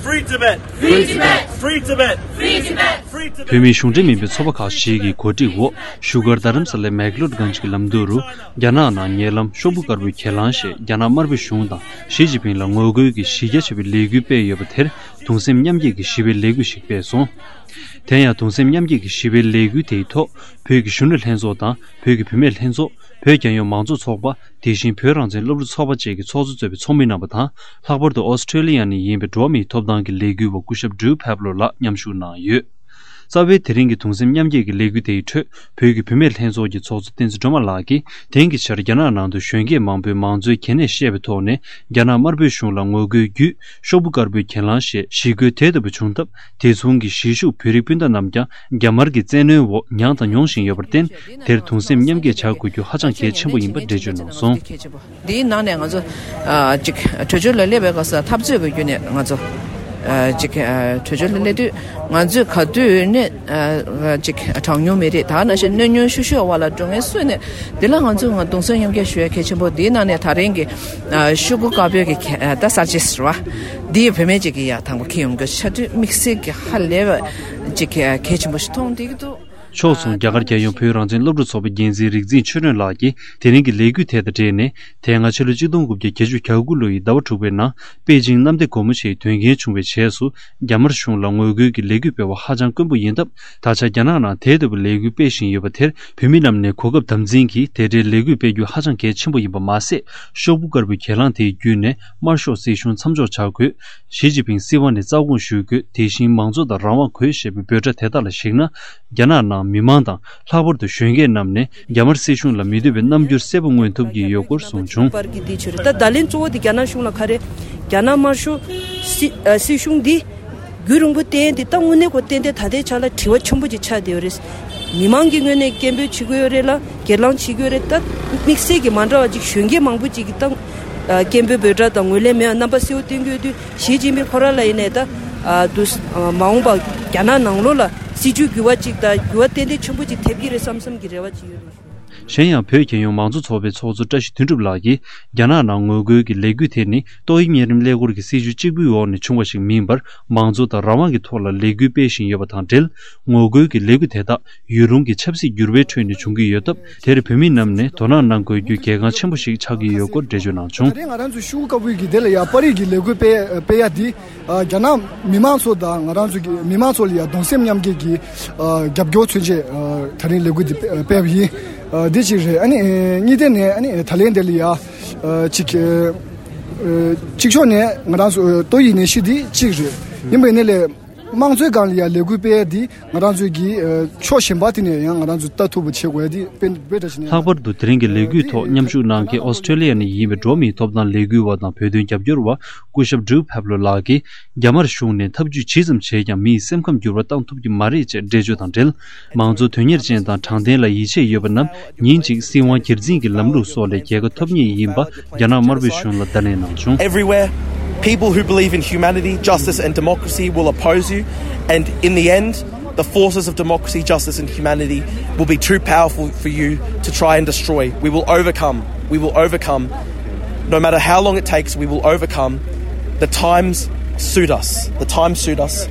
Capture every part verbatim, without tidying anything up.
Free Tibet! Free Tibet! Free Tibet! Free Tibet! Free Tibet! བོད་མིའི་གཞུང་འབྲེལ་མིན་པའི་ཚོགས་པ་ཁག་ཞིག་གི་གོ་སྒྲིག་འོག་བཞུགས་སྒར་རྡ་རམ་ས་ལའི་མེག་ལོར་གྷན་ཇི་གི་ལམ་མདོ་རུ། རྒྱ་ནག་ནང་ཉེ་ལམ་ཤོག་བུ་དཀར་པོའི་གྱེན་ལངས་ཞེས་རྒྱ་ནག་དམར་པོའི་གཞུང་དང་ཞི་ཅིན་ཕིང་ལ་ངོ་རྒོལ་གྱི་གཞི་རྒྱ་ཆེ་བའི་ལས་འགུལ་སྤེལ་ཡོད་པ་དེར། གདུང་སེམས་མཉམ་སྐྱེད་ཀྱི་ཞི་བའི་ལས་འགུལ་ཞིག་སྤེལ་སོང་། དེ་ཡང་གདུང་སེམས་མཉམ་སྐྱེད་ཀྱི་ཞི་བའི་ལས་འགུལ་དེའི་ཐོག་བོད་ཀྱི་གཞོན་ནུ་ལྷན་ཚོགས་དང་བོད་ཀྱི་བུད་མེད་ལྷན་ཚོགས། བོད་རྒྱལ་ཡོངས་མང་གཙོ་ཚོགས་པ། དེ་བཞིན་བོད་རང་བཙན་སློབ་ཕྲུག་ཚོགས་པ་བཅས་ཀྱི་ཚོགས་གཙོ་གཙོས་པའི་ཚོགས་མི་རྣམ་པ་དང་། ལྷག་པར་དུ་ཨོ་སི་ཁྲེ་ལི་ཡ་ནས་ཡིན་པའི་འགྲོ་བ་མིའི་ཐོབ་ཐང་གི་ལས་འགུལ་བ་སྐུ་ཞབས་ཌྲུ་ཕེབ་ལོ་ལགས་མཉམ་ཞུགས་གནང་ཡོད། རྩ་བའི་དེ་རིང་གི་གདུང་སེམས་མཉམ་སྐྱེད་ཀྱི་ལས་འགུལ་དེའི་ཁྲོད་བོད་ཀྱི་བུད་མེད་ལྷན་ཚོགས་ཀྱི་ཚོགས་གཙོ་བསྟན་འཛིན་སྒྲོལ་མ་ལགས་ཀྱིས། དེང་གི་ཆར་རྒྱ་ནག་ནང་དུ་གཞོན་སྐྱེས་མང་པོས་མང་གཙོའི་གལ་གནད་བཤད་པའི་ཐོག་ནས། རྒྱ་ནག་དམར་པོའི་གཞུང་ལ་ངོ་རྒོལ་བརྒྱུད། ཤོག་བུ་དཀར་པོའི་གྱེན་ལངས་ཞེས་ཞི་རྒོལ་དེ་ལྟ་བུ་བྱུང་སྟབས། དེ་མཚུངས་ཀྱི་གཞིས་བཞུགས་བོད་རིགས་སྤུན་ཟླ་རྣམས་ཀྱང་རྒྱ་དམར་གྱི་བཙན་གནོན་འོག་མྱངས་དང་མྱོང་བཞིན་ཡོད་པར་བརྟེན། དེར་གདུང་སེམས་མཉམ་སྐྱེད་བྱ་དགོས་རྒྱུ་ཧ་ཅང་གལ་ཆེན་པོ་ཡིན་པ་འགྲེལ་བརྗོད་གནང་སོང་། འདིའི་ནང་ནས་ང་ཚོ་ཨ་ཅིག་བྲོས་བྱོལ་ལ་སླེབས་པའི་སྐབས་སུ་འཐབ་རྩོད་ཀྱི་བརྒྱུད་ནས་ང་ཚོ་ཨ་ཅིག་ཨ་བྲོས་བྱོལ་ལ་སླེབས་དུས་ང་ཚོས་ག་དུས་ནས་ཨ་ཅིག་གྲངས་ཉུང་མི་རིགས་ད་ནང་བཞིན་གནོད་ཉུང་ཤོས་ཤོས་བར་ལ་འགྲོ་ངེས་སུ་ནས། འདི་ལ་ང་ཚོས་ང་གདུང་སེམས་མཉམ་སྐྱེད་ཞུ་ཡ་གལ་ཆེན་པོ། འདིའི་ནང་ནས་ད་རིང་གི་ཨ་ཤོག་གུ་དཀར་པོའི་གི་ཨ་ད་གསར་བརྗེ་ཟེར་བ་འདི་ཡི་བུད་མེད་ཅིག་གི་ཡ་དང་པོ་ཁེ་ཡོང་རྒྱུ་ཆ་དུས་དམིགས་བསལ་གྱི་ཧ་ལས་པ་ཅིག་གལ་ཆེན་པོ་ཞིག་མཐོང་བསྡད་ཀྱི་འདུག། ཕྱོགས་མཚུངས། རྒྱ་གར་རྒྱལ་ཡོངས་བོད་རང་བཙན་སློབ་ཕྲུག་ཚོགས་པའི་འགན་འཛིན་རིག་འཛིན་ཆོས་སྒྲོན་ལགས་ཀྱིས་དེ་རིང་གི་ལས་འགུལ་དེ་དང་འབྲེལ་ནས། དེ་སྔ་ཕྱི་ལོ་ཆིག་སྟོང་དགུ་བརྒྱ་བརྒྱད་ཅུ་གྱ་དགུ་ལོ་ཡི་ཟླ་བ་དྲུག་པའི་ནང་པེ་ཅིང་གནམ་བདེ་སྒོ་མོ་ཆེའི་དོན་རྐྱེན་བྱུང་བའི་རྗེས་སུ། རྒྱ་དམར་གཞུང་ལ་ངོ་རྒོལ་གྱི་ལས་འགུལ་སྤེལ་བ་ཧ་ཅང་དཀོན་པོ་ཡིན་སྟབས། ད་ཆ་རྒྱ་ནག་ནང་དེ་ལྟ་བུའི་ལས་འགུལ་སྤེལ་བཞིན་ཡོད་པ་དེར། བོད་མི་རྣམས་ནས་གོ་སྐབས་དམ་འཛིན་གྱིས་དེ་འདྲའི་ལས་འགུལ་སྤེལ་རྒྱུ་ཧ་ཅང་གལ་ཆེན་པོ་ཡིན་པ་མ་ཟད། ཤོག་བུ་དཀར་པོའི་གྱེན་ལངས་དེའི་བརྒྱུད་ནས་དམར་ཤོག་སྲིད་གཞུང་མཚམས་འཇོག་བྱ་དགོས། ཞི་ཅིན་ཕིང་སྲིད་དབང་ནས་རྩ་དགོངས་ཞུ་དགོས། དེ་བཞིན་མང་གཙོ་དང་རང་དབང་དགོས་ཞེས་པའི་འབོད་སྒྲ་དེ་དག་ལ་གཞིགས་ན། རྒྱ་ནག་ནང་མི་མང་དང་། ལྷག་པར་དུ་གཞོན་སྐྱེས་རྣམས་ནས་རྒྱ་དམར་སྲིད་གཞུང་ལ་མི་འདོད་པའི་རྣམ་འགྱུར་གསལ་པོ་མངོན་ཐུབ་ཀྱི་ཡོད་སྐོར་གསུངས་བྱུང་། པར་གྱི་དེ་ཆོས་རེད། ད་བརྡ་ལན་གཙོ་བོ་དེ་རྒྱ་ནག་གཞུང་ལ་ག་རེ། རྒྱ་ནག་དམར་ཤོག་སྲིད་ཨ་སྲིད་གཞུང་འདི་རྒྱུན་རིང་པོ་བསྟེན་ཏེ། ད་དངོས་གནས་ཁོ་ཏན་ཏན་ད་ལྟའི་ཆ་ལ་དྲི་བ་ཆེན་པོ་ཅིག་ཆགས་བསྡད་ཡོད་རེད། མི་མང་གི་ངོས་ནས་སྐད་འབོད་བྱེད་དགོས་ཡོད་རེད་ལ། སྒེར་ལངས་བྱེད་དགོས་རེད། ད་དམིགས་བསལ་གྱི་མ་འདྲ་བ་ཅིག་གཞོན་སྐྱེས་མང་པོ་ཅིག་གིས་ད་ཨ་སྐད་འབོད་འབོད་སྒྲ་དང་ངོས་ལེན་མེད་པ་རྣམ་པ་གསལ་པོ་བསྟན་གྱི་ཡོད་དུས། ཞི་ཅིན་ཕིང་ཁོ་རང་ལ་ཡིན་ནའི་ད་ཨ་དུ་ཨ་མ་འོངས་པ་རྒྱ་ནག་ནང་ལོགས་ལ་སྲིད་བྱུས་འགྱུར་བ་ཅིག་དང་འགྱུར་བ་ཏན་ཏན་ཆེན་པོ་ཅིག་ཐེབས་ཀྱི་རེད་བསམ་བསམ་གྱི་རེ་བ་ཅིག་ཡོད་རེད། གཞན་ཡང་། བོད་རྒྱལ་ཡོངས་མང་གཙོ་ཚོགས་པའི་ཚོགས་གཙོ་བཀྲ་ཤིས་དོན་གྲུབ་ལགས་ཀྱིས། རྒྱ་ནག་ནང་ངོ་རྒོལ་གྱི་ལས་འགུལ་དེ་ནི་ཏོག་དབྱིབས་གཉན་རིམས་ཀླད་ཀོར་གྱི་སྲིད་བྱུས་གཅིག་པུའི་འོག་ནས་བྱུང་བ་ཞིག་མིན་པར། མང་གཙོ་དང་རང་དབང་གི་ཐོག་ལ་ལས་འགུལ་སྤེལ་བཞིན་ཡོད་པ་དང་འབྲེལ། ངོ་རྒོལ་གྱི་ལས་འགུལ་དེ་དག་ཡུལ་ལུང་གི་ཆབ་སྲིད་འགྱུར་བའི་ཁྲོད་ནས་བྱུང་གི་ཡོད་སྟབས། དེར་བོད་མི་རྣམས་ནས་དོ་སྣང་གནང་དགོས་རྒྱུ་གལ་འགངས་ཆེན་པོ་ཞིག་ཆགས་ཀྱི་ཡོད་སྐོར་འགྲེལ་བརྗོད་གནང་བྱུང་། ད་རེས་ང་རང་ཚོ་ཤོག་བུ་དཀར་པོའི་གི་དེ་ལ་ཡ་པར་རིས་ཀྱི་ལས་འགུལ་སྤེལ་སྤེལ་ཡ་འདི། ཨ་རྒྱ་ནག་མི་མང་ཚོ་དང་ང་རང་ཚོ་གི་མི་མང་ཚོ་ལ་ཡ་གདུང་སེམས་མཉམ་སྐྱེད་ཀྱི་ཨ་རྒྱབ་སྐྱོར་མཚོན་ཆེད་ཨ་ད་རིང་ལས་འགུལ་འདི་སྤེལ་བ་ཡིན། ཨ་འདི་གཅིག་རེད། ཨ་ནི་ཨ་གཉིས་ཐད་ནས་ཨ་ནི་ད་ལན་དེ་ལ་ཡ་ཨ་གཅིག་ཨ་གཅིག་ཕྱོགས་ནས་ང་རང་ཚོ་ཏོག་དབྱིབས་ནད་གཞི་འདི་གཅིག་རེད། ཡིན་པའི་ནི་ལས་དམངས་གཙོའི་སྒང་ལ་ཡ་ལས་འགུལ་སྤེལ་ཡ་འདི་ང་རང་ཚོ་གི་ཨ་ཕྱོགས་གཞན་པ་དེ་ནས་ཡང་ང་རང་ཚོ་ལྟ་ཐུབ་པ་བྱེད་དགོས་ཡ་འདི་དཔེ་དཔེ་འདྲ་ཞིག་ནས། ལྷག་པར་དུ་དེ་རིང་གི་ལས་འགུལ་ཐོག་མཉམ་ཞུགས་གནང་མཁན་ཨོ་སི་ཁྲེ་ལི་ཡ་ནས་ཡིན་པའི་འགྲོ་བ་མིའི་ཐོབ་ཐང་ལས་འགུལ་བ་དང་བོད་དོན་རྒྱབ་སྐྱོར་བ་སྐུ་ཞབས་ཌྲུ་ཕེབ་ལོ་ལགས་ཀྱིས། རྒྱ་དམར་གཞུང་ནས་ཐབས་ཇུས་ཇི་ཙམ་བྱས་ཀྱང་མི་ཡི་སེམས་ཁམས་འགྱུར་བ་བཏང་ཐུབ་ཀྱི་མ་རེད་ཅེས་འགྲེལ་བརྗོད་དང་འབྲེལ། མང་གཙོ་དོན་གཉེར་ཅན་དང་དྲང་བདེན་ལ་ཡིད་ཆེས་ཡོད་པ་རྣམས་ཉིན་གཅིག་སྲིད་དབང་སྒེར་འཛིན་གྱི་ལམ་ལུགས་སོགས་ལས་རྒྱལ་ཁ་ཐོབ་ངེས་ཡིན་པ་རྒྱ་ནག་དམར་པོའི་གཞུང་ལ་བརྡ་ལན་གནང་བྱུང་། Everywhere, people who believe in humanity, justice and democracy will oppose you, and in the end, the forces of democracy, justice and humanity will be too powerful for you to try and destroy. We will overcome. We will overcome. No matter how long it takes, we will overcome. The times suit us. The times suit us.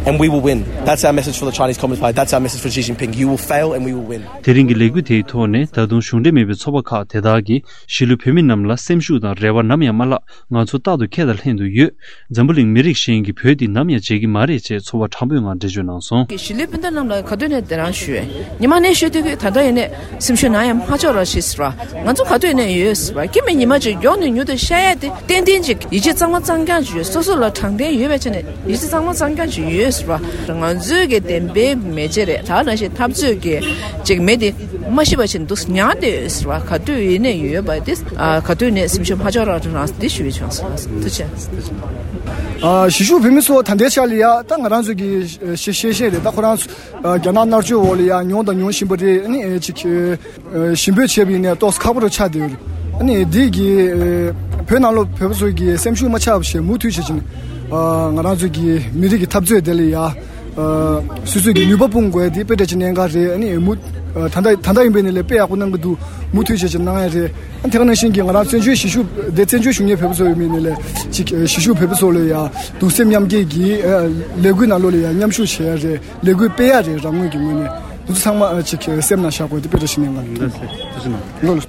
And we will win. That's our message for the Chinese Communist Party. That's our message for Xi Jinping. You will fail and we will win. དེ་རིང་གི་ལས་འགུལ་དེའི་ཐོག་ནས་ད་དུང་གཞུང་འབྲེལ་མིན་པའི་ཚོགས་པ་ཁག་དེ་དག་གིས་གཞིས་ལུས་བོད་མི་རྣམས་ལ་སེམས་ཤུགས་དང་རེ་བ་ནམ་ཡང་མ་བརླག་ང་ཚོ་རྟག་ཏུ་ཁྱེད་དང་ལྷན་དུ་ཡོད། འཛམ་བུ་གླིང་མི་རིགས་གཞན་གྱིས་བོད་འདི་ནམ་ཡང་བརྗེད་ཀྱི་མ་རེད་ཅེས་ཚོར་བ་དྲང་པོའི་ངང་འགྲེལ་བརྗོད་གནང་སོང་། གཞིས་ལུས་སྤུན་ཟླ་རྣམས་ལ་ག་དུས་ནས་དེ་རང་ཞུ། ཉི་མ་ནས་ཤོད་དུས་ད་ལྟ་ཡིན་ནས་སེམས་ཤུགས་ནམ་ཡང་མ་ཆག་རོགས་ཞེས་ཟེར་བ། ང་ཚོ་ག་དུས་ནས་ཡོད་ཟེར་བ། སྐྱེ་མེད་ཉི་མ་གཅིག་མགྱོགས་ནས་མྱུར་དུ་ཤར་ཡ་དེ་ཏན་ཏན་ཅིག་ཡིད་ཆེས་གཙང་མ་གཙང་རྐྱང་ཅིག་ཡོད། སོ་སོ་ལ་དྲང་བདེན་ཡོད་པའི་ཆ་ནས་ཡིད་ཆེས་གཙང་མ་གཙང་རྐྱང་ཅིག་ཡོད་ཟེར་བ། ང་ཚོའི་གི་བདེན་པའི་མེ་ལྕེ་རེད། ད་ནང་བཞིན་འཐབ་རྩོད་ཀྱི་ཅིག་མེ་དེ་མ་ཤི་བ་ཞིག་འདུག་ཉར་བསྡད་ཡོད་ཟེར་བ། ག་དུས་ཡིན་ནས་ཡོད་པ་དེ་ཨ་ག་དུས་ནས་སེམས་ཤུགས་མ་ཆག་རོགས་གནང་དེ་ཞུ་བའི་བྱུང་སོང་། ཐུགས་རྗེ་ཆེ། ཨ་གཞིས་བཞུགས་བོད་མི་ཚོ་ད་ལྟའི་ཆ་ལ་ཡ་ད་ང་རང་ཚོ་གི་ཤེས་ཤེས་ཤེས་རེད། ད་ཁོ་རང་ཚོ་ཨ་རྒྱ་ནག་མནར་གཅོད་འོག་ལ་ཡ་མྱོང་དང་མྱོང་བཞིན་པ་རེད། ཨ་ནི་ཨེ་ཅིག་ཨ་ཞིབ་འབྲི་བྱས་པ་ཡིན་ནའི་ཏོག་ཙམ་ཁག་པོ་རུ་ཆགས་བསྡད་ཡོད་རེད། ཨ་ནི་འདི་གི་ཨ་བོད་ནང་ལོགས་བོད་པ་ཚོ་གི་སེམས་ཤུགས་མ་ཆག་པ་བྱས་མུ་མཐུད་བྱེད་ཀྱིན་ཨ་ང་རང་ཚོ་གི་མི་རིགས་ཀྱི་འཐབ་རྩོད་དེ་ལ་ཡ་ཨ་སོ་སོ་གི་ནུས་པ་སྤུངས་དགོས་དེ་དཔེ་འདྲ་ཅིག་གནད་འགག་རེད། ཨ་ནི་མུ་ ད་ལྟ་ད་ལྟ་ཡིན་པའི་ནི་ལས་དཔེ་ཡག་པོ་གནང་གི་འདུག་མུ་མཐུད་བྱས་ཀྱི་གནང་ཡ་རེད། དེ་ག་ནང་བཞིན་གྱི་ང་རང་བཙན་བྱོལ་གཞིས་བཞུགས་དེ་བཙན་བྱོལ་བཞུགས་མཁན་བོད་པ་ཚོ་ཡོད་མིན་ནི་ལས་ཅིག་གཞིས་བཞུགས་བོད་པ་ཚོ་ལ་ཡ་གདུང་སེམས་མཉམ་སྐྱེད་ཀྱི་ལས་འགུལ་ནང་ལོགས་ལ་ཡ་མཉམ་ཞུགས་བྱེད་ཡ་རེད། ལས་འགུལ་སྤེལ་ཡ་རེད། རང་ངོས་ཀྱི་ངོས་ནས་དེ་ཚོ་ཚང་མ་ཅིག་སེམས་ནང་བཞག་དགོས་དེ་དཔེ་འདྲ་ཞིག་ནས་ང་ལ།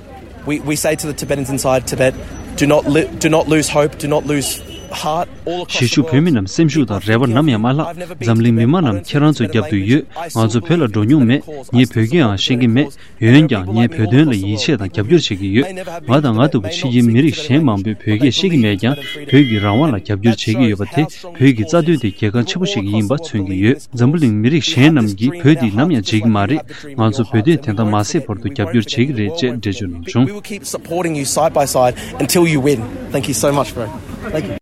We, we say to the Tibetans inside Tibet, do not, li- do not lose hope, do not lose heart. All across གཞིས་བཞུགས་བོད་མི་རྣམས་སེམས་ཤུགས་དང་རེ་བ་ནམ་ཡང་མ་བརླག་འཛམ་གླིང་མི་མང་རྣམས་ཁྱེད་རང་ཚོའི་རྒྱབ་ཏུ་ཡོད། ང་ཚོ་བོད་ལ་འགྲོ་མྱོང་མེད། ངས་བོད་སྐད་ཡང་ཤེས་ཀྱི་མེད། འོན་ཀྱང་ངས་བོད་དོན་ལ་ཡིད་ཆེས་དང་རྒྱབ་སྐྱོར་བྱེད་ཀྱི་ཡོད། ང་དང་ང་ལྟ་བུ་ཕྱི་རྒྱལ་མི་རིགས་གཞན་མང་པོས་བོད་སྐད་ཤེས་ཀྱི་མེད་ཀྱང་བོད་ཀྱི་རང་དབང་ལ་རྒྱབ་སྐྱོར་བྱེད་ཀྱི་ཡོད་པ་དེ་བོད་ཀྱི་རྩ་དོན་དེ་གལ་འགངས་ཆེན་པོ་ཞིག་ཡིན་པ་མཚོན་གྱི་ཡོད། འཛམ་བུ་གླིང་མི་རིགས་གཞན་རྣམས་ཀྱིས་བོད་འདི་ནམ་ཡང་བརྗེད་ཀྱི་མ་རེད། ང་ཚོ་བོད་དོན་དེ་དང་མ་ཟད་བར་དུ་རྒྱབ་སྐྱོར་བྱེད་ཀྱི་རེད་ཅེས་འགྲེལ་བརྗོད་གནང་བྱུང་། We will keep supporting you side by side until you win. Thank you so much, bro. Thank you.